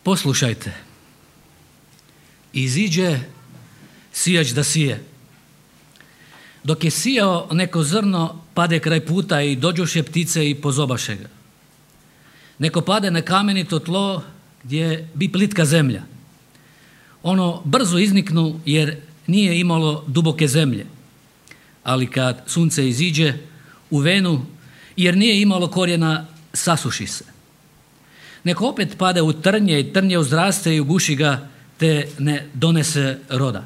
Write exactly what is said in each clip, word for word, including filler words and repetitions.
Poslušajte. Iziđe sijač da sije. Dok je sijao neko zrno, pade kraj puta i dođoše ptice i pozobaše ga. Neko pade na kamenito tlo gdje bi plitka zemlja. Ono brzo izniknu jer nije imalo duboke zemlje. Ali kad sunce iziđe u venu, jer nije imalo korijena, sasuši se. Neko opet pade u trnje i trnje uzraste i uguši ga, te ne donese roda.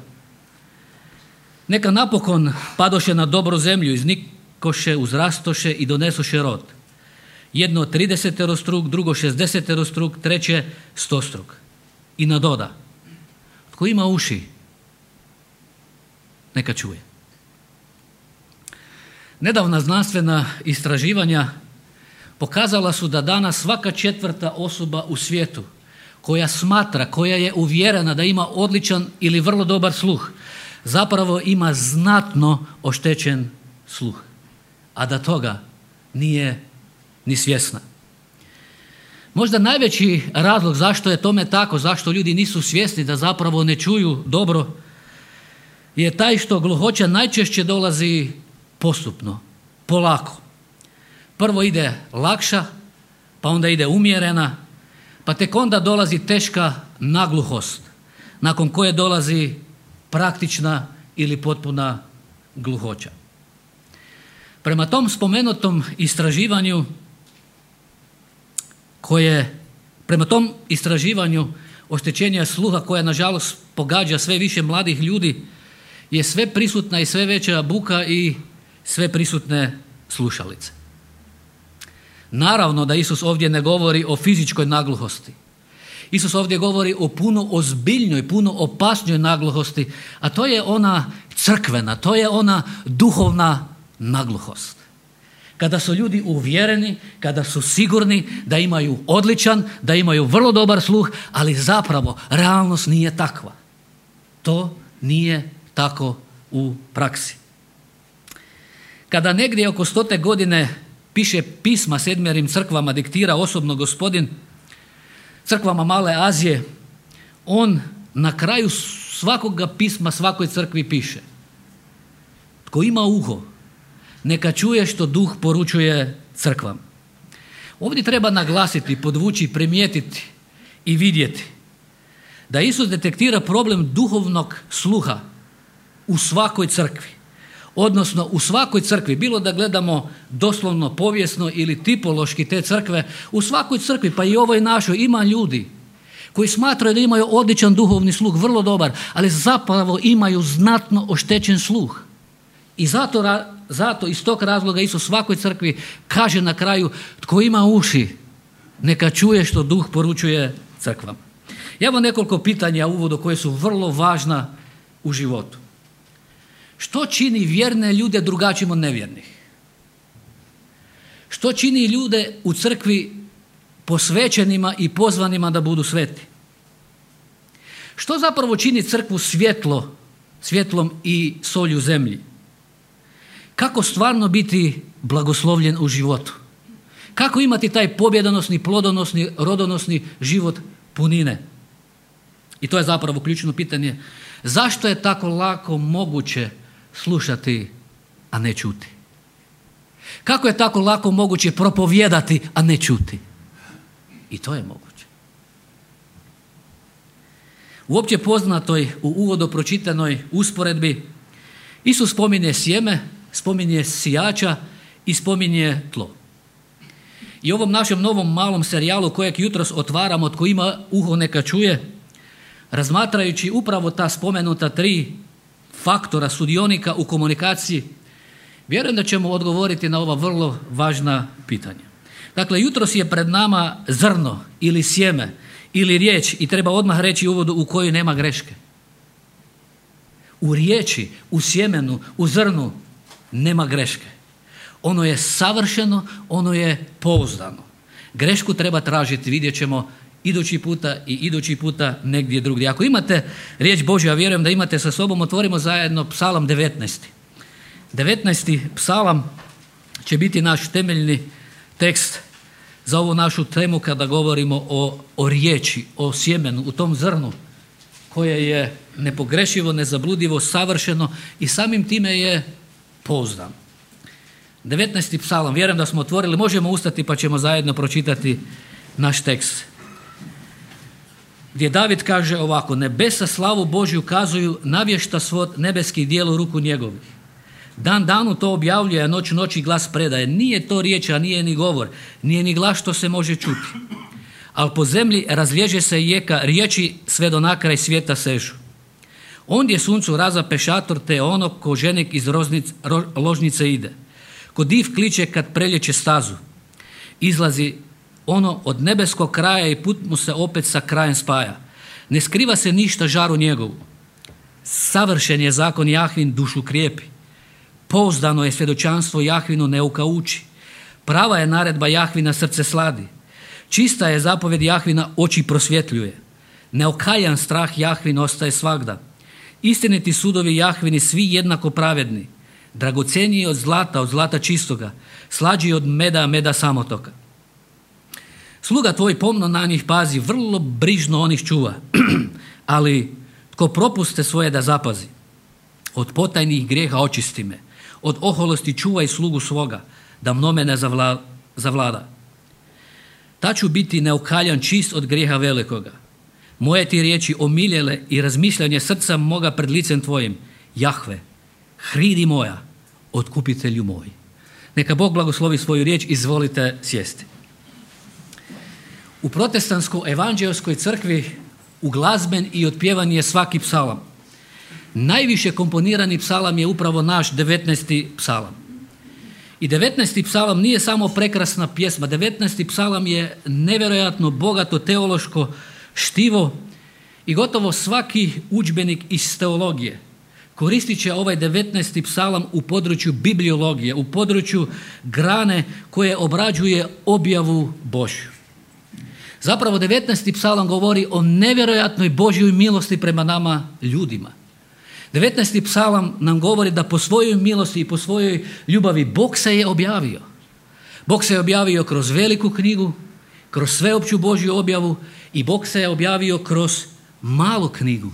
Neka napokon padoše na dobru zemlju, iznikoše, uzrastoše i donesoše rod. Jedno trideseterostruk, drugo šezdeseterostruk, treće stostruk. I nadoda. Tko ima uši, neka čuje. Nedavna znanstvena istraživanja pokazala su da danas svaka četvrta osoba u svijetu koja smatra, koja je uvjerena da ima odličan ili vrlo dobar sluh, zapravo ima znatno oštećen sluh, a da toga nije ni svjesna. Možda najveći razlog zašto je tome tako, zašto ljudi nisu svjesni da zapravo ne čuju dobro, je taj što gluhoća najčešće dolazi postupno, polako. Prvo ide lakša, pa onda ide umjerena, pa tek onda dolazi teška nagluhost, nakon koje dolazi praktična ili potpuna gluhoća. Prema tom spomenutom istraživanju, koje, prema tom istraživanju oštećenja sluha koja nažalost pogađa sve više mladih ljudi, je sve prisutna i sve veća buka i sve prisutne slušalice. Naravno da Isus ovdje ne govori o fizičkoj nagluhosti. Isus ovdje govori o puno ozbiljnoj, puno opasnoj nagluhosti, a to je ona crkvena, to je ona duhovna nagluhost. Kada su ljudi uvjereni, kada su sigurni da imaju odličan, da imaju vrlo dobar sluh, ali zapravo realnost nije takva. To nije tako u praksi. Kada negdje oko stote godine piše pisma sedmjerim crkvama, diktira osobno Gospodin, crkvama Male Azije, on na kraju svakoga pisma svakoj crkvi piše: tko ima uho, neka čuje što duh poručuje crkvama. Ovdje treba naglasiti, podvući, primijetiti i vidjeti da Isus detektira problem duhovnog sluha u svakoj crkvi. Odnosno u svakoj crkvi, bilo da gledamo doslovno, povijesno ili tipološki te crkve, u svakoj crkvi, pa i ovoj našoj, ima ljudi koji smatraju da imaju odličan duhovni sluh, vrlo dobar, ali zapravo imaju znatno oštećen sluh. I zato, zato iz tog razloga Isus svakoj crkvi kaže na kraju: tko ima uši, neka čuje što duh poručuje crkvama. Ja vam nekoliko pitanja u uvodu koje su vrlo važna u životu. Što čini vjerne ljude drugačijim od nevjernih? Što čini ljude u crkvi posvećenima i pozvanima da budu sveti? Što zapravo čini crkvu svjetlo, svjetlom i solju zemlji? Kako stvarno biti blagoslovljen u životu? Kako imati taj pobjedonosni, plodonosni, rodonosni život punine? I to je zapravo ključno pitanje. Zašto je tako lako moguće slušati, a ne čuti? Kako je tako lako moguće propovijedati, a ne čuti? I to je moguće. U opće poznatoj, u uvodu pročitanoj usporedbi, Isus spominje sjeme, spominje sijača i spominje tlo. I ovom našem novom malom serijalu kojeg jutros otvaramo, tko ima uho neka čuje, razmatrajući upravo ta spomenuta tri faktora sudionika u komunikaciji, vjerujem da ćemo odgovoriti na ova vrlo važna pitanja. Dakle, jutros je pred nama zrno ili sjeme ili riječ i treba odmah reći u uvodu u kojoj nema greške. U riječi, u sjemenu, u zrnu nema greške. Ono je savršeno, ono je pouzdano. Grešku treba tražiti, vidjet ćemo idući puta i idući puta negdje drugdje. Ako imate riječ Božja, vjerujem da imate sa sobom, otvorimo zajedno Psalam devetnaesti. devetnaesti psalam će biti naš temeljni tekst za ovu našu temu kada govorimo o, o riječi, o sjemenu, u tom zrnu koje je nepogrešivo, nezabludivo, savršeno i samim time je pouzdano. devetnaesti psalam, vjerujem da smo otvorili, možemo ustati pa ćemo zajedno pročitati naš tekst. Gdje David kaže ovako: nebesa slavu Božju kazuju, navješta svod nebeskih dijelu ruku njegovih. Dan danu to objavljuje, a noć noći glas predaje. Nije to riječ, a nije ni govor, nije ni glas što se može čuti. Ali po zemlji razliježe se jeka, riječi sve do nakraj svijeta sežu. Ondje suncu razape šator, te ono ko ženik iz roznic, ro, ložnice ide. Ko div kliče kad prelječe stazu. Izlazi ono od nebeskog kraja i put mu se opet sa krajem spaja. Ne skriva se ništa žaru njegovu. Savršen je zakon Jahvin, dušu krijepi. Pouzdano je svjedočanstvo Jahvinu, neuka uči. Prava je naredba Jahvina, srce sladi. Čista je zapovjed Jahvina, oči prosvjetljuje. Neokaljan strah Jahvin ostaje svagda. Istiniti sudovi Jahvini, svi jednako pravedni. Dragoceniji od zlata, od zlata čistoga. Slađi od meda, meda samotoka. Sluga tvoj pomno na njih pazi, vrlo brižno onih čuva. Ali tko propuste svoje da zapazi. Od potajnih grijeha očisti me. Od oholosti čuvaj slugu svoga, da mnome ne zavla, zavlada. Ta ću biti neokaljan, čist od grijeha velikoga. Moje ti riječi omiljele i razmišljanje srca moga pred licem tvojim. Jahve, hridi moja, otkupitelju moj. Neka Bog blagoslovi svoju riječ, izvolite sjesti. U protestantskoj evanđeoskoj crkvi uglazben i otpjevan je svaki psalam. Najviše komponirani psalam je upravo naš devetnaesti psalam. I devetnaesti psalam nije samo prekrasna pjesma, devetnaesti psalam je nevjerojatno bogato teološko štivo i gotovo svaki udžbenik iz teologije koristit će ovaj devetnaesti psalam u području bibliologije, u području grane koje obrađuje objavu Božju. Zapravo devetnaesti psalam govori o nevjerojatnoj Božjoj milosti prema nama ljudima. devetnaesti psalam nam govori da po svojoj milosti i po svojoj ljubavi Bog se je objavio. Bog se je objavio kroz veliku knjigu, kroz sveopću Božju objavu i Bog se je objavio kroz malu knjigu,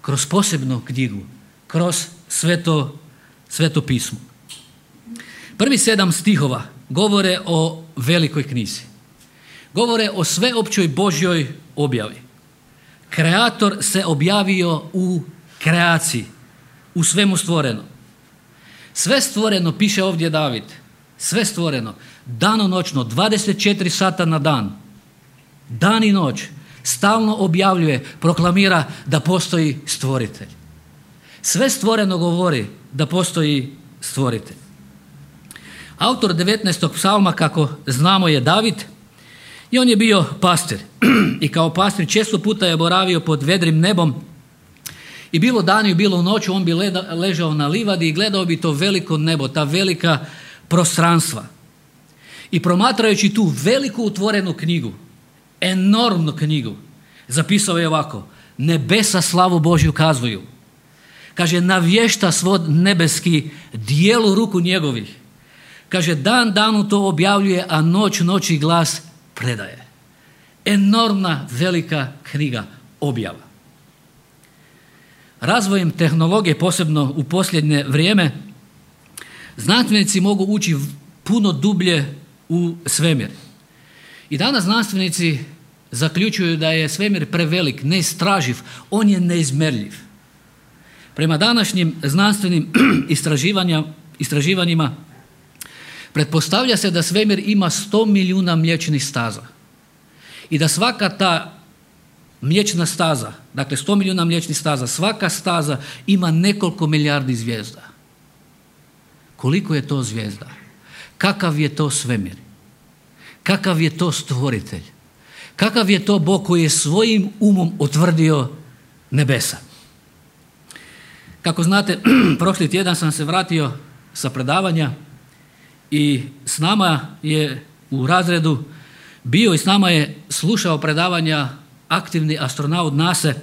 kroz posebnu knjigu, kroz sveto, sveto pismo. Prvi sedam stihova govore o velikoj knjizi. Govore o sveopćoj Božjoj objavi. Kreator se objavio u kreaciji, u svemu stvoreno. Sve stvoreno, piše ovdje David, sve stvoreno, danonoćno, dvadeset četiri sata na dan, dan i noć, stalno objavljuje, proklamira da postoji stvoritelj. Sve stvoreno govori da postoji stvoritelj. Autor devetnaestog psalma, kako znamo, je David i on je bio pastir. I kao pastir često puta je boravio pod vedrim nebom i bilo danju, bilo noću on bi leda, ležao na livadi i gledao bi to veliko nebo, ta velika prostranstva. I promatrajući tu veliku utvorenu knjigu, enormnu knjigu, zapisao je ovako: nebesa slavu Božju kazuju. Kaže, navješta svod nebeski dijelu ruku njegovih. Kaže, dan danu to objavljuje, a noć noći glas predaje. Enormna velika knjiga, objava. Razvojem tehnologije, posebno u posljednje vrijeme, znanstvenici mogu ući puno dublje u svemir. I danas znanstvenici zaključuju da je svemir prevelik, neistraživ, on je neizmjerljiv. Prema današnjim znanstvenim istraživanjima pretpostavlja se da svemir ima sto milijuna mliječnih staza i da svaka ta mliječna staza, dakle sto milijuna mliječnih staza, svaka staza ima nekoliko milijardi zvijezda. Koliko je to zvijezda? Kakav je to svemir? Kakav je to stvoritelj? Kakav je to Bog koji je svojim umom utvrdio nebesa? Kako znate, prošli tjedan sam se vratio sa predavanja i s nama je u razredu bio i s nama je slušao predavanja aktivni astronaut NASA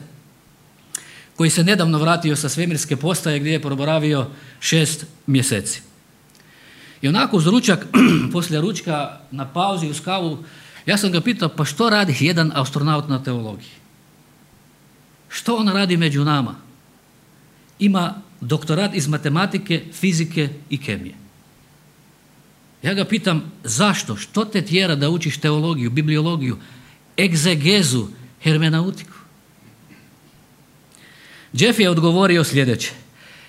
koji se nedavno vratio sa svemirske postaje gdje je proboravio šest mjeseci. I onako uz ručak, poslije ručka, na pauzi uz kavu, ja sam ga pitao, pa što radi jedan astronaut na teologiji? Što on radi među nama? Ima doktorat iz matematike, fizike i kemije. Ja ga pitam, zašto? Što te tjera da učiš teologiju, bibliologiju, egzegezu, hermenautiku? Jeff je odgovorio sljedeće.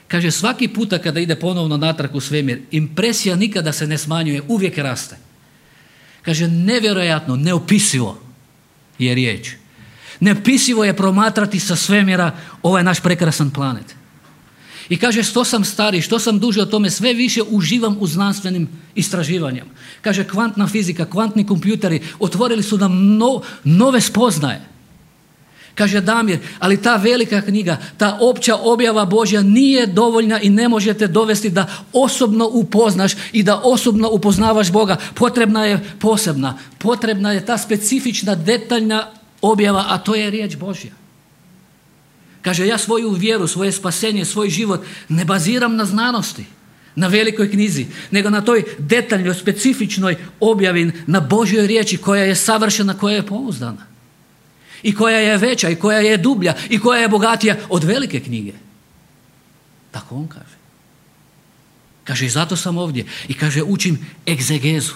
Kaže, svaki puta kada ide ponovno natrag u svemir, impresija nikada se ne smanjuje, uvijek raste. Kaže, nevjerojatno, neopisivo je riječ. Neopisivo je promatrati sa svemira ovaj naš prekrasan planet. I kaže, što sam stariji, što sam duže o tome, sve više uživam u znanstvenim istraživanjem. Kaže, kvantna fizika, kvantni kompjuteri otvorili su nam no, nove spoznaje. Kaže Damir, ali ta velika knjiga, ta opća objava Božja nije dovoljna i ne možete dovesti da osobno upoznaš i da osobno upoznavaš Boga. Potrebna je posebna, potrebna je ta specifična, detaljna objava, a to je riječ Božja. Kaže, ja svoju vjeru, svoje spasenje, svoj život ne baziram na znanosti, na velikoj knjizi, nego na toj detaljnoj, specifičnoj objavi, na Božjoj riječi koja je savršena, koja je pouzdana. I koja je veća, i koja je dublja, i koja je bogatija od velike knjige. Tako on kaže. Kaže, i zato sam ovdje. I kaže, učim egzegezu.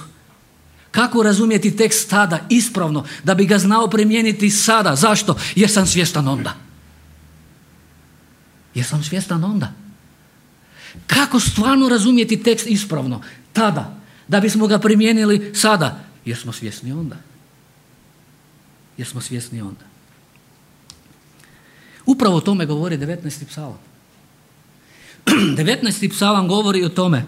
Kako razumjeti tekst tada ispravno, da bi ga znao primijeniti sada? Zašto? Jer sam svjestan onda. Jer sam svjestan onda. Kako stvarno razumjeti tekst ispravno? Tada. Da bismo ga primijenili sada. Jer smo svjesni onda. Jer smo svjesni onda. Upravo o tome govori devetnaesti psalam. devetnaesti psalam govori o tome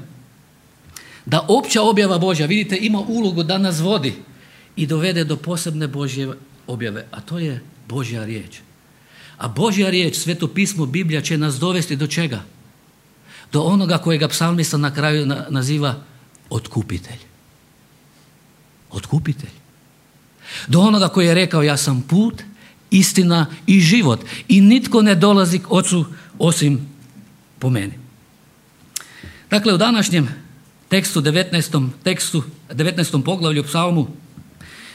da opća objava Božja, vidite, ima ulogu da nas vodi i dovede do posebne Božje objave, a to je Božja riječ. A Božja riječ, Sveto pismo, Biblija će nas dovesti do čega? Do onoga kojega psalmista na kraju naziva otkupitelj. Otkupitelj. Do onoga koji je rekao, ja sam put, istina i život i nitko ne dolazi k Ocu osim po meni. Dakle, u današnjem tekstu, devetnaestom tekstu, devetnaestom poglavlju psalmu,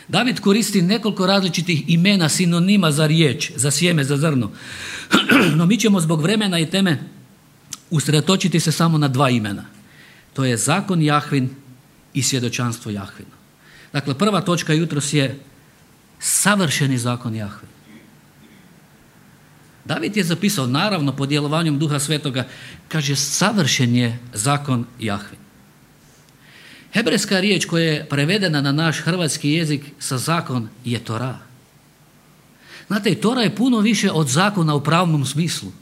David koristi nekoliko različitih imena, sinonima za riječ, za sjeme, za zrno. No mi ćemo zbog vremena i teme usredotočiti se samo na dva imena. To je zakon Jahvin i svjedočanstvo Jahvina. Dakle, prva točka jutros je savršeni zakon Jahve. David je zapisao, naravno pod djelovanjem Duha Svetoga, kaže, savršen je zakon Jahve. Hebrejska riječ koja je prevedena na naš hrvatski jezik sa zakon je Tora. Znate, Tora je puno više od zakona u pravnom smislu.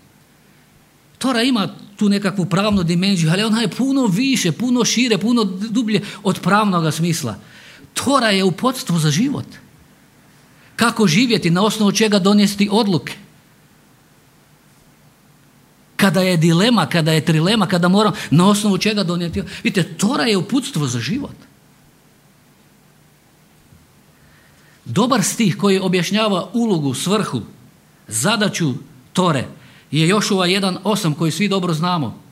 Tora ima tu nekakvu pravnu dimenziju, ali ona je puno više, puno šire, puno dublje od pravnog smisla. Tora je uputstvo za život. Kako živjeti, na osnovu čega donijeti odluke. Kada je dilema, kada je trilema, kada moram, na osnovu čega donijeti. Vidite, Tora je uputstvo za život. Dobar stih koji objašnjava ulogu, svrhu, zadaću Tore je Jošua jedan osam koji svi dobro znamo.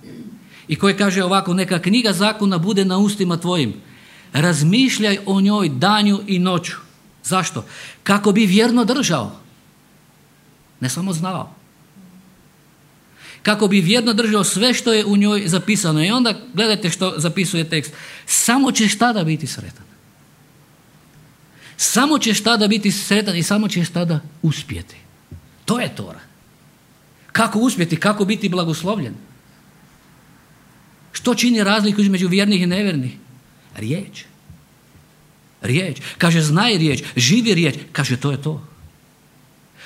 I koji kaže ovako, neka knjiga zakona bude na ustima tvojim. Razmišljaj o njoj danju i noću. Zašto? Kako bi vjerno držao. Ne samo znao. Kako bi vjerno držao sve što je u njoj zapisano. I onda gledajte što zapisuje tekst. Samo ćeš tada biti sretan. Samo ćeš tada biti sretan i samo ćeš tada uspjeti. To je Tora. Kako uspjeti, kako biti blagoslovljen. Što čini razliku između vjernih i nevjernih? Riječ. Riječ. Kaže, znaj riječ, živi riječ. Kaže, to je to.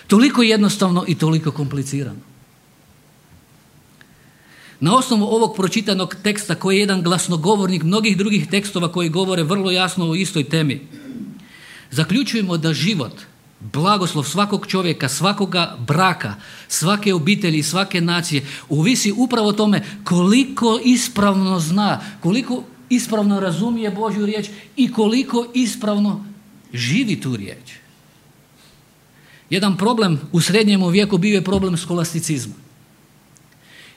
Toliko jednostavno i toliko komplicirano. Na osnovu ovog pročitanog teksta koji je jedan glasnogovornik mnogih drugih tekstova koji govore vrlo jasno o istoj temi, zaključujemo da život, blagoslov svakog čovjeka, svakoga braka, svake obitelji, svake nacije ovisi upravo o tome koliko ispravno zna, koliko ispravno razumije Božju riječ i koliko ispravno živi tu riječ. Jedan problem u srednjem vijeku bio je problem skolasticizma.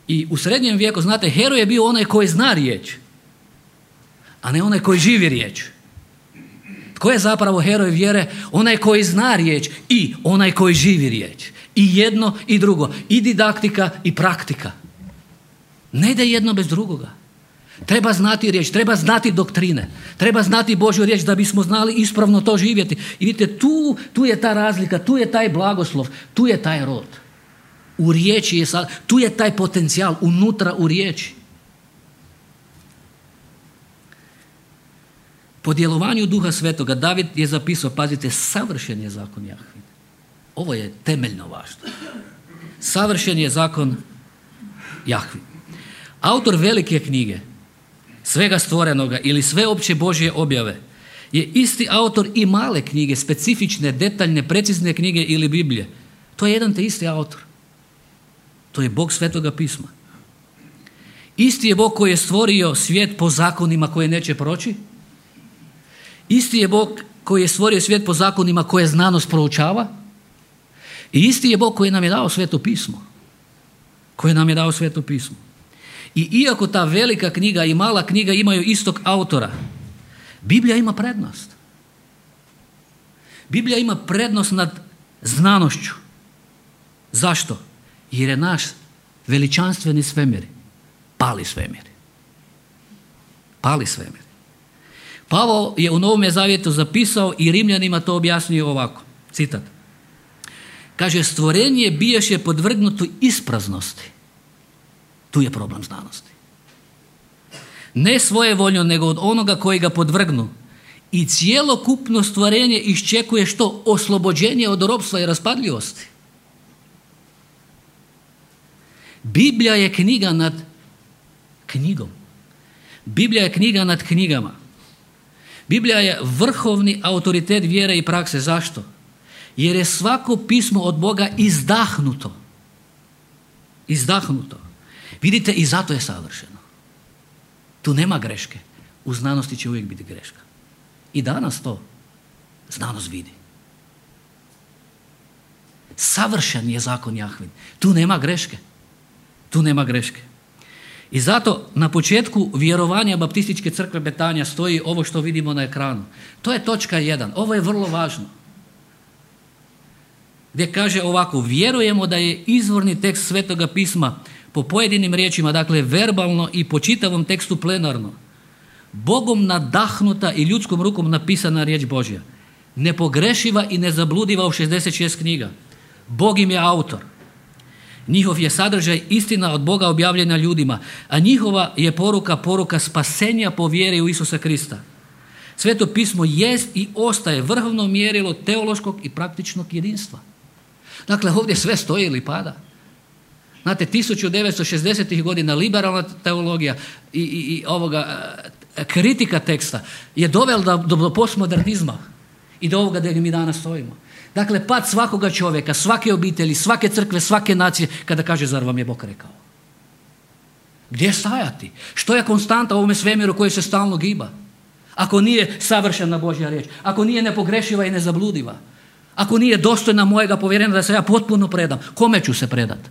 I u srednjem vijeku, znate, heroj je bio onaj koji zna riječ. a ne onaj koji živi riječ. Tko je zapravo heroj vjere? Onaj koji zna riječ i onaj koji živi riječ. I jedno i drugo. I didaktika i praktika. Ne ide jedno bez drugoga. Treba znati riječ, treba znati doktrine, treba znati Božju riječ da bismo znali ispravno to živjeti. I vidite, tu, tu je ta razlika, tu je taj blagoslov, tu je taj rod. U riječi je, tu je taj potencijal, unutra u riječi. Po djelovanju Duha Svetoga David je zapisao, pazite, savršen je zakon Jahvin. Ovo je temeljno važno. Savršen je zakon Jahvin. Autor velike knjige, svega stvorenoga ili sveopće Božje objave, je isti autor i male knjige, specifične, detaljne, precizne knjige ili Biblije. To je jedan te isti autor. To je Bog Svetoga pisma. Isti je Bog koji je stvorio svijet po zakonima koje neće proći. Isti je Bog koji je stvorio svijet po zakonima koje znanost proučava. I isti je Bog koji nam je dao Sveto pismo. Koji nam je dao Sveto pismo. I iako ta velika knjiga i mala knjiga imaju istog autora, Biblija ima prednost. Biblija ima prednost nad znanošću. Zašto? Jer je naš veličanstveni svemir pali svemir. Pali svemir. Pavao je u Novome zavjetu zapisao i Rimljanima to objasnio ovako. Citat. Kaže, stvorenje bijaše podvrgnuto ispraznosti. Tu je problem znanosti. Ne svojevoljno, nego od onoga koji ga podvrgnu. I cijelokupno stvorenje iščekuje što? Oslobođenje od ropstva i raspadljivosti. Biblija je knjiga nad knjigom. Biblija je knjiga nad knjigama. Biblija je vrhovni autoritet vjere i prakse. Zašto? Jer je svako pismo od Boga izdahnuto. Izdahnuto. Vidite, i zato je savršeno. Tu nema greške. U znanosti će uvijek biti greška. I danas to znanost vidi. Savršen je zakon Jahvin. Tu nema greške. Tu nema greške. I zato na početku vjerovanja Baptističke crkve Betanja stoji ovo što vidimo na ekranu. To je točka jedan. Ovo je vrlo važno. Gdje kaže ovako, vjerujemo da je izvorni tekst Svetoga pisma po pojedinim riječima, dakle verbalno i po čitavom tekstu plenarno, Bogom nadahnuta i ljudskom rukom napisana riječ Božja. Nepogrešiva i nezabludiva u šezdeset šest knjiga. Bog im je autor. Njihov je sadržaj istina od Boga objavljena ljudima, a njihova je poruka poruka spasenja po vjeri u Isusa Krista. Sveto pismo jest i ostaje vrhovno mjerilo teološkog i praktičnog jedinstva. Dakle, ovdje sve stoji ili pada. Znate, tisuću devetsto šezdesetih godina liberalna teologija i, i, i ovoga, kritika teksta je dovela do, do, do postmodernizma i do ovoga gdje mi danas stojimo. Dakle, pad svakoga čovjeka, svake obitelji, svake crkve, svake nacije, kada kaže, zar vam je Bog rekao? Gdje stajati? Što je konstanta u ovome svemiru koji se stalno giba? Ako nije savršena Božja riječ, ako nije nepogrešiva i nezabludiva, ako nije dostojna mojega povjerenja da se ja potpuno predam, kome ću se predati?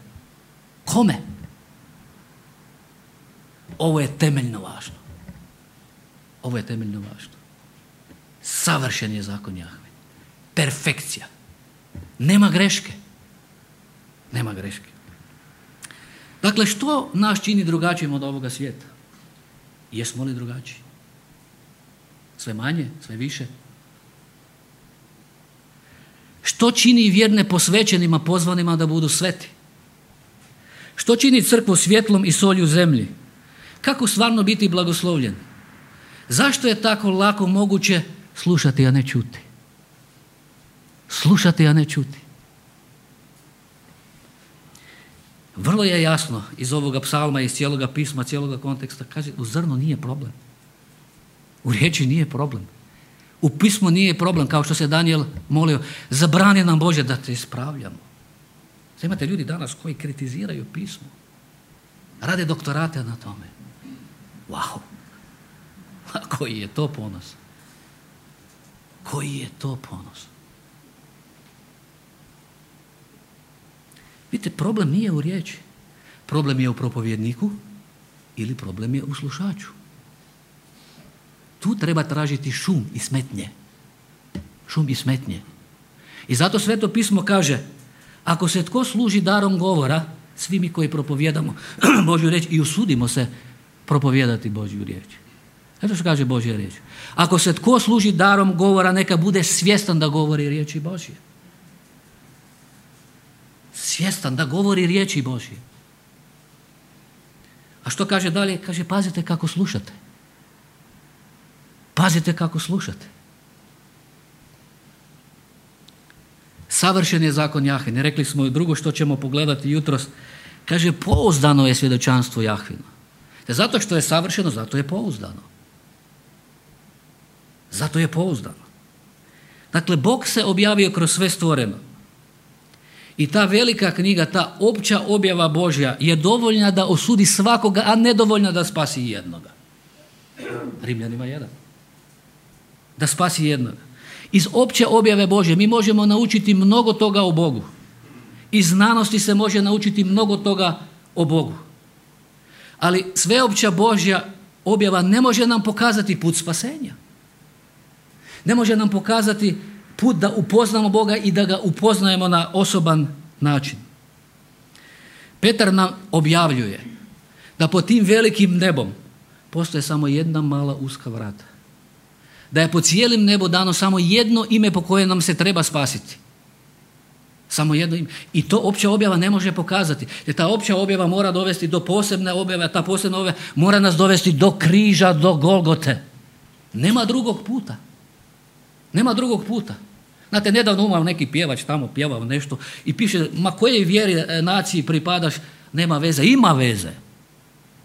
Kome? Ovo je temeljno važno. Ovo je temeljno važno. Savršen je zakon Jahve. Perfekcija. Nema greške. Nema greške. Dakle, što nas čini drugačijim od ovoga svijeta? Jesmo li drugačiji? Sve manje, sve više? Što čini vjerne posvećenima, pozvanima da budu sveti? Što čini crkvu svjetlom i solju zemlji? Kako stvarno biti blagoslovljen? Zašto je tako lako moguće slušati, a ne čuti? Slušati, a ne čuti. Vrlo je jasno iz ovoga psalma, iz cijeloga pisma, cijeloga konteksta, kaže, u zrnu nije problem. U riječi nije problem. U pismu nije problem, kao što se Danijel molio, zabrani nam Bože da te ispravljamo. Sada imate ljudi danas koji kritiziraju pismo. Rade doktorate na tome. Wow. A koji je to ponos? Koji je to ponos? Vidite, problem nije u riječi. Problem je u propovjedniku ili problem je u slušaču. tu treba tražiti šum i smetnje. Šum i smetnje. I zato Sveto pismo kaže, ako se tko služi darom govora, svi mi koji propovijedamo Božju riječ i usudimo se propovijedati Božju riječ. Eto što kaže Božja riječ. Ako se tko služi darom govora, neka bude svjestan da govori riječi Božje. Svjestan da govori riječi Božje. A što kaže dalje? Kaže, pazite kako slušate. Pazite kako slušate. Savršen je zakon Jahvin. Rekli smo i drugo što ćemo pogledati jutros. Kaže, pouzdano je svjedočanstvo Jahvino. Zato što je savršeno, zato je pouzdano. Zato je pouzdano. Dakle, Bog se objavio kroz sve stvoreno. I ta velika knjiga, ta opća objava Božja je dovoljna da osudi svakoga, a nedovoljna da spasi jednoga. Rimljanima jedan. Da spasi jednoga. Iz opće objave Božje mi možemo naučiti mnogo toga o Bogu. Iz znanosti se može naučiti mnogo toga o Bogu. Ali sveopća Božja objava ne može nam pokazati put spasenja. Ne može nam pokazati put da upoznamo Boga i da ga upoznajemo na osoban način. Petar nam objavljuje da pod tim velikim nebom postoje samo jedna mala uska vrata. Da je po cijelim nebu dano samo jedno ime po koje nam se treba spasiti. Samo jedno ime. I to opća objava ne može pokazati. Jer ta opća objava mora dovesti do posebne objave, a ta posebna objava mora nas dovesti do križa, do Golgote. Nema drugog puta. Nema drugog puta. Znate, nedavno umao neki pjevač tamo, pjevao nešto i piše, ma kojej vjeri naciji pripadaš, nema veze. Ima veze.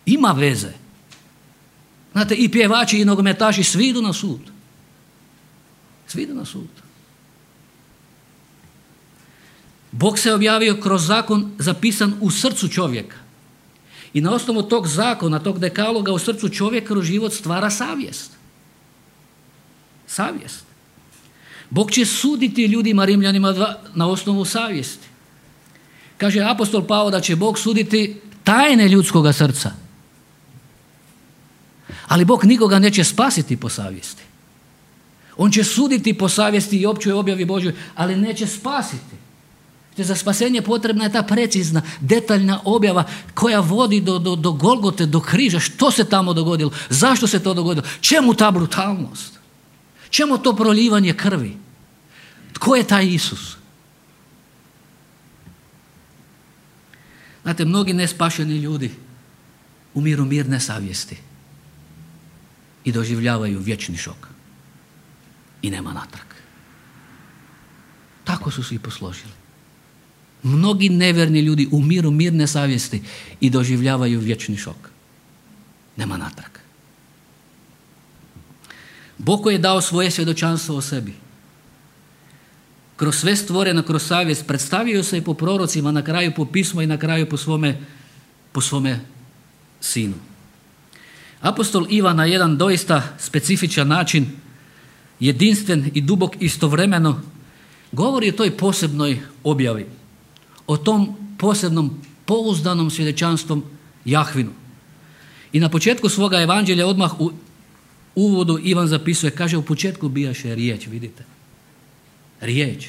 Ima veze. Znate, i pjevači i nogometaši svi idu na sud. Svi idu na sud. Bog se objavio kroz zakon zapisan u srcu čovjeka. I na osnovu tog zakona, tog dekaloga u srcu čovjeka kroz život stvara savjest. Savjest. Bog će suditi ljudima, Rimljanima dva, na osnovu savjesti. Kaže apostol Pavao da će Bog suditi tajne ljudskoga srca. Ali Bog nikoga neće spasiti po savjesti. On će suditi po savjesti i općoj objavi Božjoj, ali neće spasiti. Te za spasenje potrebna je ta precizna, detaljna objava koja vodi do, do, do Golgote, do križa. Što se tamo dogodilo? Zašto se to dogodilo? Čemu ta brutalnost? Čemu to proljivanje krvi? Tko je taj Isus? Znate, mnogi nespašeni ljudi umiru mirne savjesti i doživljavaju vječni šok. I nema natrag. Tako su svi posložili. Mnogi nevjerni ljudi umiru mirne savjesti i doživljavaju vječni šok. Nema natrag. Bog koji je dao svoje svjedočanstvo o sebi, kroz sve stvoreno, kroz savjest, predstavio se i po prorocima, na kraju po pismu i na kraju po svome, po svome sinu. Apostol Ivan na jedan doista specifičan način, jedinstven i dubok istovremeno, govori o toj posebnoj objavi, o tom posebnom pouzdanom svjedočanstvom Jahvinu. I na početku svoga evanđelja odmah u uvodu Ivan zapisuje, kaže u početku bijaše riječ, vidite. Riječ.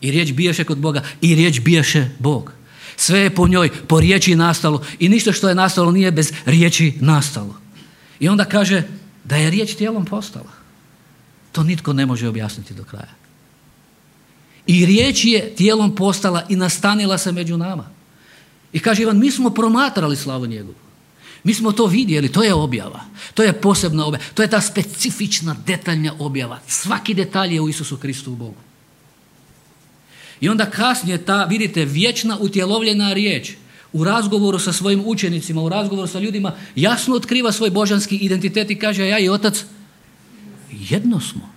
I riječ bijaše kod Boga i riječ bijaše Bog. Sve je po njoj, po riječi nastalo i ništa što je nastalo nije bez riječi nastalo. I onda kaže da je riječ tijelom postala. To nitko ne može objasniti do kraja. I riječ je tijelom postala i nastanila se među nama. I kaže Ivan, mi smo promatrali slavu njegovu. Mi smo to vidjeli, to je objava. To je posebna objava. To je ta specifična, detaljna objava. Svaki detalj je u Isusu Kristu u Bogu. I onda kasnije ta, vidite, vječna utjelovljena riječ u razgovoru sa svojim učenicima, u razgovoru sa ljudima, jasno otkriva svoj božanski identitet i kaže, ja i Otac jedno smo.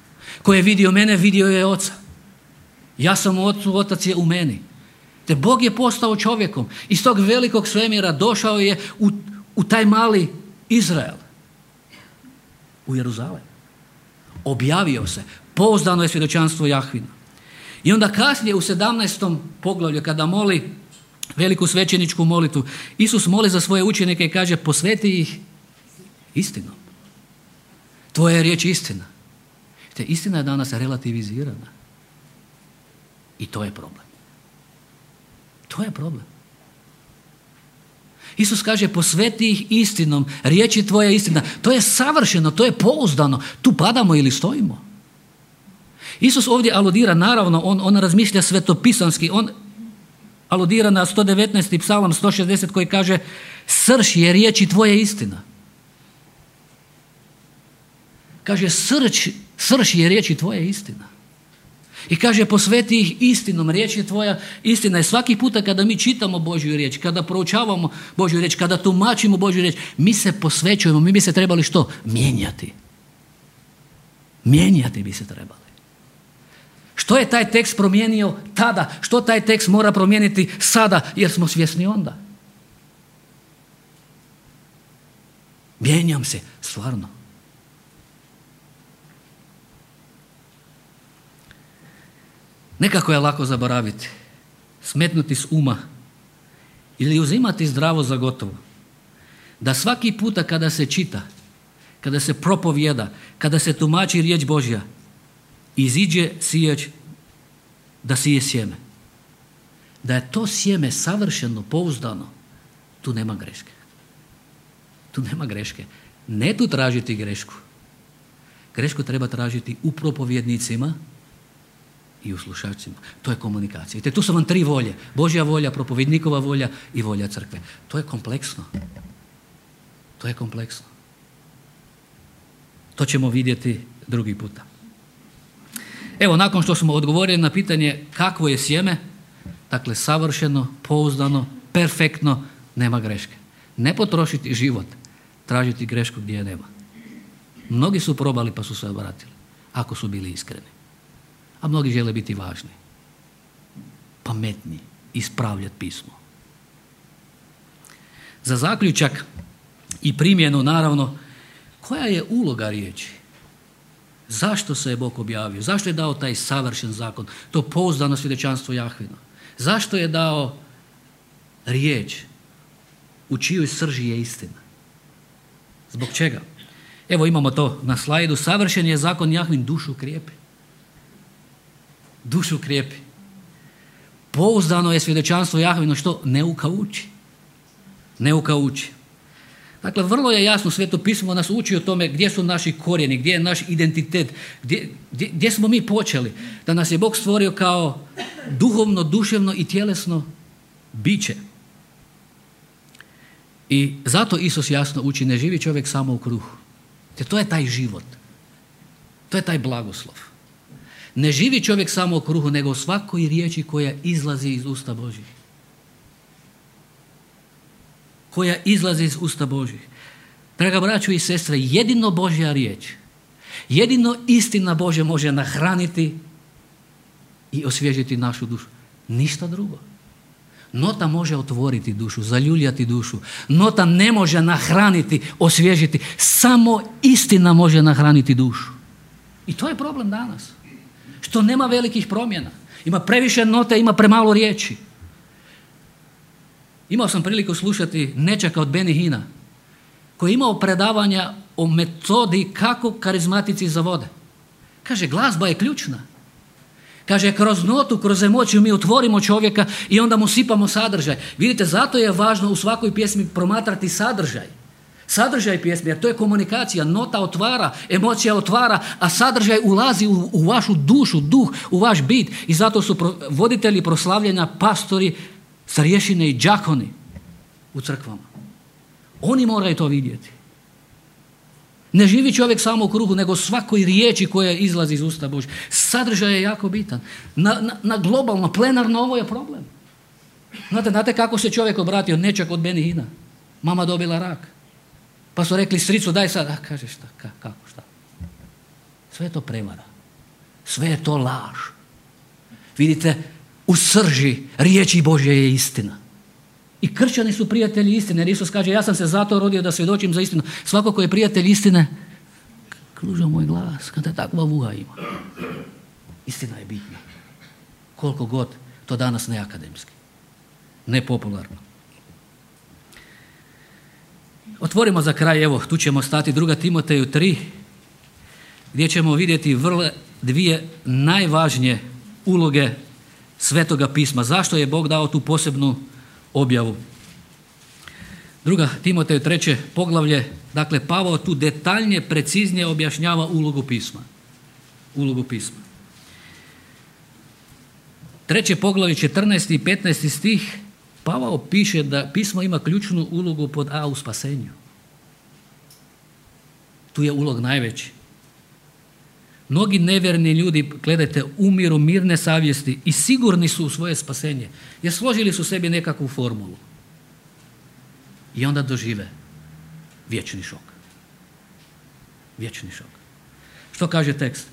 Ko je vidio mene, vidio je Oca. Ja sam u Ocu, Otac je u meni. Te Bog je postao čovjekom. Iz tog velikog svemira došao je u, u taj mali Izrael. U Jeruzalem. Objavio se. Pouzdano je svjedočanstvo Jahvina. I onda kasnije u sedamnaestom poglavlju kada moli veliku svećeničku molitvu, Isus moli za svoje učenike i kaže posveti ih istinom. Tvoja je riječ istina. Te istina je danas relativizirana. I to je problem. To je problem. Isus kaže, posveti ih istinom, riječi tvoja je istina. To je savršeno, to je pouzdano. Tu padamo ili stojimo. Isus ovdje aludira, naravno, on, on razmišlja svetopisanski, on aludira na sto devetnaesti psalam sto šezdeset koji kaže, srž je riječi tvoja istina. Kaže, srž, srž je riječi tvoja istina. I kaže, posveti ih istinom, riječ je tvoja istina. I svaki puta kada mi čitamo Božju riječ, kada proučavamo Božju riječ, kada tumačimo Božju riječ, mi se posvećujemo, mi bi se trebali što? Mijenjati. Mijenjati bi se trebali. Što je taj tekst promijenio tada? Što taj tekst mora promijeniti sada? Jer smo svjesni onda. Mijenjam se, stvarno. Nekako je lako zaboraviti, smetnuti s uma ili uzimati zdravo za gotovo. Da svaki puta kada se čita, kada se propovjeda, kada se tumači riječ Božja, iziđe sijač da sije sjeme. Da je to sjeme savršeno, pouzdano, tu nema greške. Tu nema greške. Ne tu tražiti grešku. Grešku treba tražiti u propovjednicima i u slušačima. To je komunikacija. I tu su vam tri volje. Božja volja, propovjednikova volja i volja crkve. To je kompleksno. To je kompleksno. To ćemo vidjeti drugi puta. Evo, nakon što smo odgovorili na pitanje kakvo je sjeme, dakle savršeno, pouzdano, perfektno, nema greške. Ne potrošiti život, tražiti grešku gdje je nema. Mnogi su probali pa su se obratili, ako su bili iskreni. A mnogi žele biti važni, pametni, ispravljati pismo. Za zaključak i primjenu, naravno, koja je uloga riječi? Zašto se je Bog objavio? Zašto je dao taj savršen zakon? To pouzdano svjedočanstvo Jahvino. Zašto je dao riječ u čijoj srži je istina? Zbog čega? Evo imamo to na slajdu. Savršen je zakon Jahvin, dušu krijepi. Dušu krijepi. Pouzdano je svjedočanstvo Jahvino, što neuka uči. Neuka uči. Dakle, vrlo je jasno, Sveto pismo nas uči o tome gdje su naši korijeni, gdje je naš identitet, gdje, gdje, gdje smo mi počeli. Da nas je Bog stvorio kao duhovno, duševno i tjelesno biće. I zato Isus jasno uči, ne živi čovjek samo u kruhu. Te to je taj život. To je taj blagoslov. Ne živi čovjek samo u kruhu, nego u svakoj riječi koja izlazi iz usta Božjih. Koja izlazi iz usta Božjih. Draga braćo i sestre, jedino Božja riječ, jedino istina Božja može nahraniti i osvježiti našu dušu. Ništa drugo. Nota može otvoriti dušu, zaljuljati dušu. Nota ne može nahraniti, osvježiti. Samo istina može nahraniti dušu. I to je problem danas. Što nema velikih promjena. Ima previše note, ima premalo riječi. Imao sam priliku slušati nečaka od Benny Hina, koji je imao predavanja o metodi kako karizmatici zavode. Kaže, glazba je ključna. Kaže, kroz notu, kroz emociju mi otvorimo čovjeka i onda mu sipamo sadržaj. Vidite, zato je važno u svakoj pjesmi promatrati sadržaj. Sadržaj pjesme, jer to je komunikacija. Nota otvara, emocija otvara, a sadržaj ulazi u, u vašu dušu, duh, u vaš bit. I zato su pro, voditelji proslavljanja, pastori, starješine i đakoni u crkvama. Oni moraju to vidjeti. Ne živi čovjek samo u kruhu, nego svakoj riječi koja izlazi iz usta Božja. Sadržaj je jako bitan. Na, na, na globalno, plenarno ovo je problem. Znate, znate kako se čovjek obratio nečak od Benny Hina? Mama dobila rak. Pa su rekli, stricu, daj sad. A kaže, šta, ka, kako, šta? Sve je to prevara. Sve je to laž. Vidite, u srži riječi Božje je istina. I kršćani su prijatelji istine. Jer Isus kaže, ja sam se zato rodio da svjedočim za istinu. Svako ko je prijatelj istine, kluža moj glas, kada takva vuha ima. Istina je bitna. Koliko god to danas ne akademski. Ne popularno. Otvorimo za kraj, evo, tu ćemo stati, druga Timoteju tri, gdje ćemo vidjeti vrlo dvije najvažnije uloge Svetoga pisma. Zašto je Bog dao tu posebnu objavu? Druga Timoteju treće poglavlje, dakle Pavao tu detaljnije, preciznije objašnjava ulogu pisma. Ulogu pisma. Treće poglavlje, četrnaesti i petnaesti stih, Pavao piše da pismo ima ključnu ulogu pod A u spasenju. Tu je ulog najveći. Mnogi nevjerni ljudi, gledajte, umiru mirne savjesti i sigurni su u svoje spasenje, jer složili su sebi nekakvu formulu. I onda dožive vječni šok. Vječni šok. Što kaže tekst?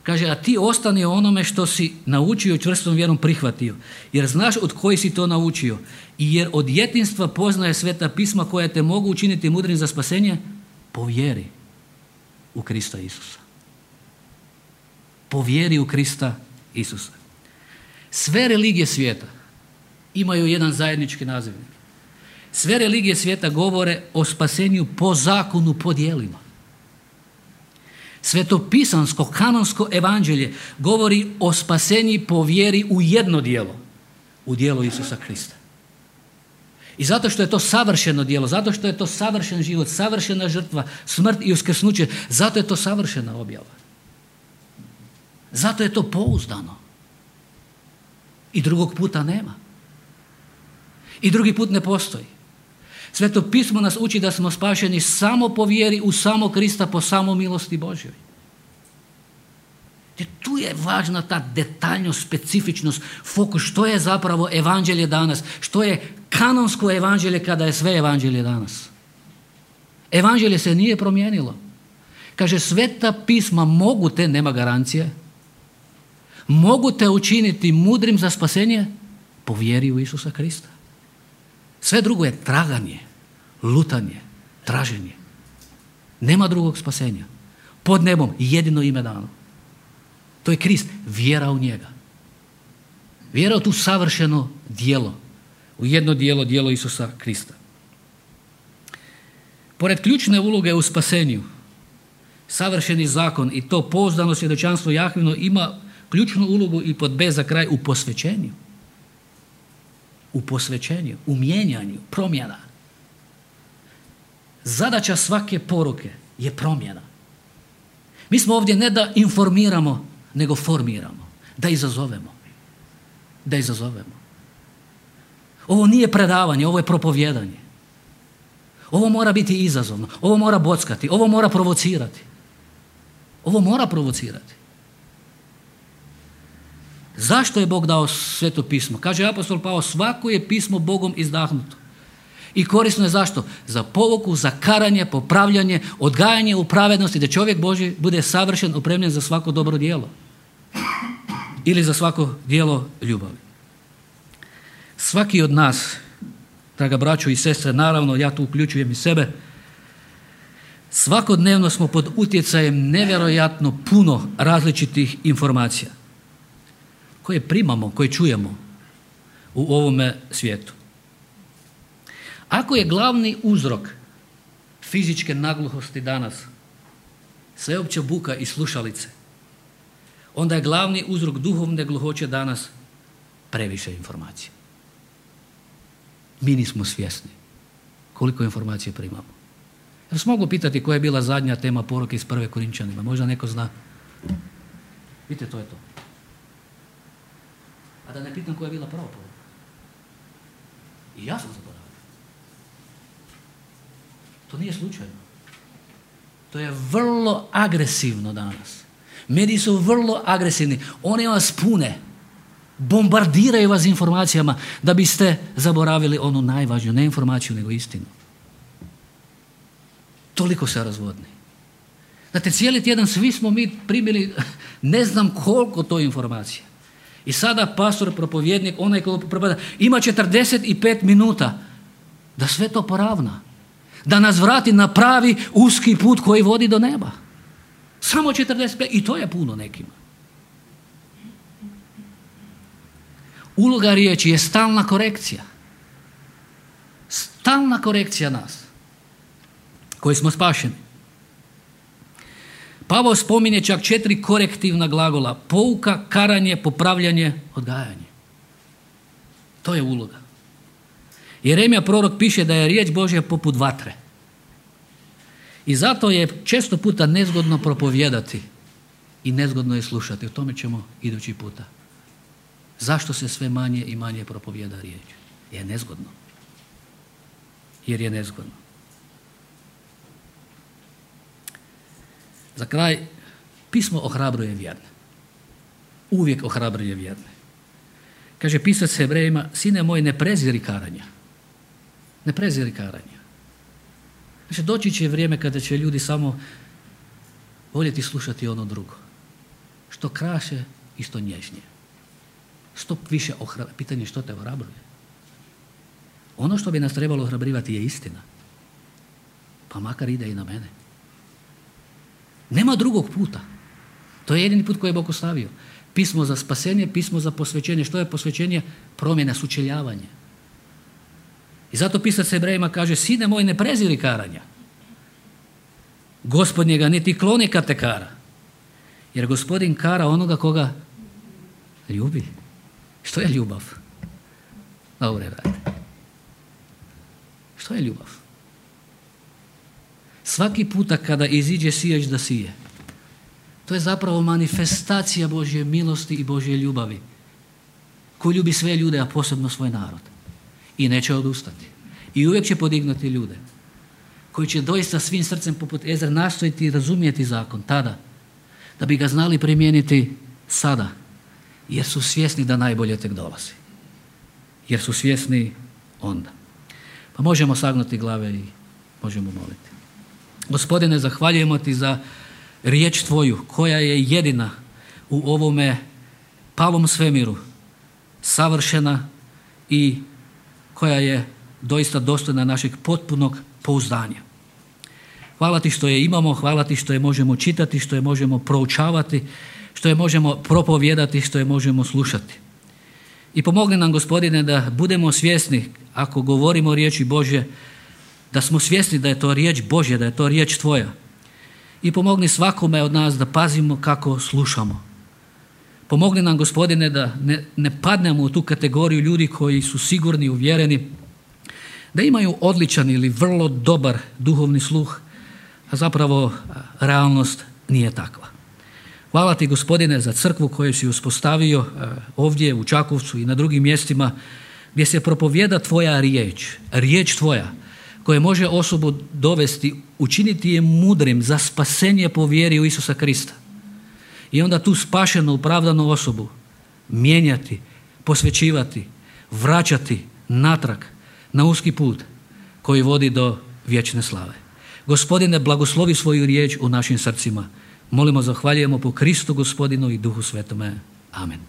Kaže, a ti ostani o onome što si naučio i čvrstom vjerom prihvatio, jer znaš od koji si to naučio i jer od djetinjstva poznaje sveta pisma koja te mogu učiniti mudrim za spasenje, povjeri u Krista Isusa. Povjeri u Krista Isusa. Sve religije svijeta imaju jedan zajednički nazivnik. Sve religije svijeta govore o spasenju po zakonu, po djelima. Svetopisansko, kanonsko evanđelje govori o spasenju po vjeri u jedno djelo, u djelo Isusa Krista. I zato što je to savršeno djelo, zato što je to savršen život, savršena žrtva, smrt i uskrsnuće, zato je to savršena objava. Zato je to pouzdano. I drugog puta nema. I drugi put ne postoji. Sveto pismo nas uči da smo spašeni samo po vjeri u samo Krista, po samo milosti Božjoj. Jer tu je važna ta detaljnost, specifičnost, fokus, što je zapravo evanđelje danas, što je kanonsko evanđelje kada je sve evanđelje danas. Evanđelje se nije promijenilo. Kaže, sveta pisma mogu te, nema garancije, mogu te učiniti mudrim za spasenje po vjeri u Isusa Krista. Sve drugo je traganje, lutanje, traženje. Nema drugog spasenja. Pod nebom jedino ime dano. To je Krist, vjera u njega. Vjera u tu savršeno djelo, u jedno djelo, djelo Isusa Krista. Pored ključne uloge u spasenju, savršeni zakon i to pouzdano svjedočanstvo Jahvino ima ključnu ulogu i pod B za kraj u posvećenju. U posvećenju, u mijenjanju, promjena. Zadaća svake poruke je promjena. Mi smo ovdje ne da informiramo, nego formiramo, da izazovemo. Da izazovemo. Ovo nije predavanje, ovo je propovijedanje. Ovo mora biti izazovno, ovo mora bockati, ovo mora provocirati. Ovo mora provocirati. Zašto je Bog dao sveto pismo? Kaže apostol Pavao, svako je pismo Bogom izdahnuto. I korisno je zašto? Za pouku, za karanje, popravljanje, odgajanje u pravednosti, da čovjek Božji bude savršen, opremljen za svako dobro djelo. Ili za svako djelo ljubavi. Svaki od nas, draga braćo i sestre, naravno ja tu uključujem i sebe, svakodnevno smo pod utjecajem nevjerojatno puno različitih informacija koje primamo, koje čujemo u ovome svijetu. Ako je glavni uzrok fizičke nagluhosti danas sveopća buka i slušalice, onda je glavni uzrok duhovne gluhoće danas previše informacija. Mi nismo svjesni koliko informacije primamo. Ja vas mogu pitati koja je bila zadnja tema poruke iz prve Korinčanima. Možda neko zna. Vidite, to je to. A da ne pitam koja je bila prva poruka. I ja sam zaboravio. To nije slučajno. To je vrlo agresivno danas. Mediji su vrlo agresivni. Oni vas pune. Bombardiraju vas informacijama da biste zaboravili onu najvažniju, ne informaciju, nego istinu. Toliko se razvodni. Znate, cijeli tjedan svi smo mi primili ne znam koliko to informacija. I sada pastor, propovjednik, onaj koji propovjeda, ima četrdeset pet minuta da sve to poravna. Da nas vrati na pravi uski put koji vodi do neba. Samo četrdeset pet, i to je puno nekima. Uloga riječi je stalna korekcija. Stalna korekcija nas, koji smo spašeni. Pavao spominje čak četiri korektivna glagola. Pouka, karanje, popravljanje, odgajanje. To je uloga. Jeremija prorok piše da je riječ Božja poput vatre. I zato je često puta nezgodno propovijedati i nezgodno je slušati. O tome ćemo idući puta. Zašto se sve manje i manje propovijeda riječ? Je nezgodno. Jer je nezgodno. Za kraj, pismo ohrabruje vjerne. Uvijek ohrabruje vjerne. Kaže pisac Hebrejima, sine moj, ne preziri karanja. Ne preziri karanja. Znači, doći će vrijeme kada će ljudi samo voljeti slušati ono drugo. Što kraše i što nježnije. Što više ohrabruje. Pitanje što te ohrabruje. Ono što bi nas trebalo ohrabrivati je istina. Pa makar ide i na mene. Nema drugog puta. To je jedini put koji je Bog ostavio. Pismo za spasenje, pismo za posvećenje. Što je posvećenje? Promjena, sučeljavanje. I zato pisac Hebrejima kaže, sine moj, ne preziri karanja. Gospodin ga niti kloni kad te kara. Jer Gospodin kara onoga koga ljubi. Što je ljubav? Dobre, brate. Što je ljubav? Svaki puta kada iziđe sijač da sije, to je zapravo manifestacija Božje milosti i Božje ljubavi, koji ljubi sve ljude, a posebno svoj narod. I neće odustati. I uvijek će podignuti ljude koji će doista svim srcem poput Ezre nastojiti razumjeti zakon tada, da bi ga znali primijeniti sada, jer su svjesni da najbolje tek dolazi. Jer su svjesni onda. Pa možemo sagnuti glave i možemo moliti. Gospodine, zahvaljujemo ti za riječ tvoju, koja je jedina u ovome palom svemiru, savršena i koja je doista dostojna našeg potpunog pouzdanja. Hvala ti što je imamo, hvala ti što je možemo čitati, što je možemo proučavati, što je možemo propovijedati, što je možemo slušati. I pomogni nam, Gospodine, da budemo svjesni, ako govorimo o riječi Božje, da smo svjesni da je to riječ Božja, da je to riječ tvoja. I pomogni svakome od nas da pazimo kako slušamo. Pomogni nam, Gospodine, da ne, ne padnemo u tu kategoriju ljudi koji su sigurni i uvjereni, da imaju odličan ili vrlo dobar duhovni sluh, a zapravo realnost nije takva. Hvala ti, Gospodine, za crkvu koju si uspostavio ovdje u Čakovcu i na drugim mjestima gdje se propovijeda tvoja riječ, riječ tvoja, koja može osobu dovesti, učiniti je mudrim za spasenje po vjeri u Isusa Krista. I onda tu spašenu, opravdanu osobu mijenjati, posvećivati, vraćati natrag na uski put koji vodi do vječne slave. Gospodine, blagoslovi svoju riječ u našim srcima. Molimo, zahvaljujemo po Kristu Gospodinu i Duhu Svetome. Amen.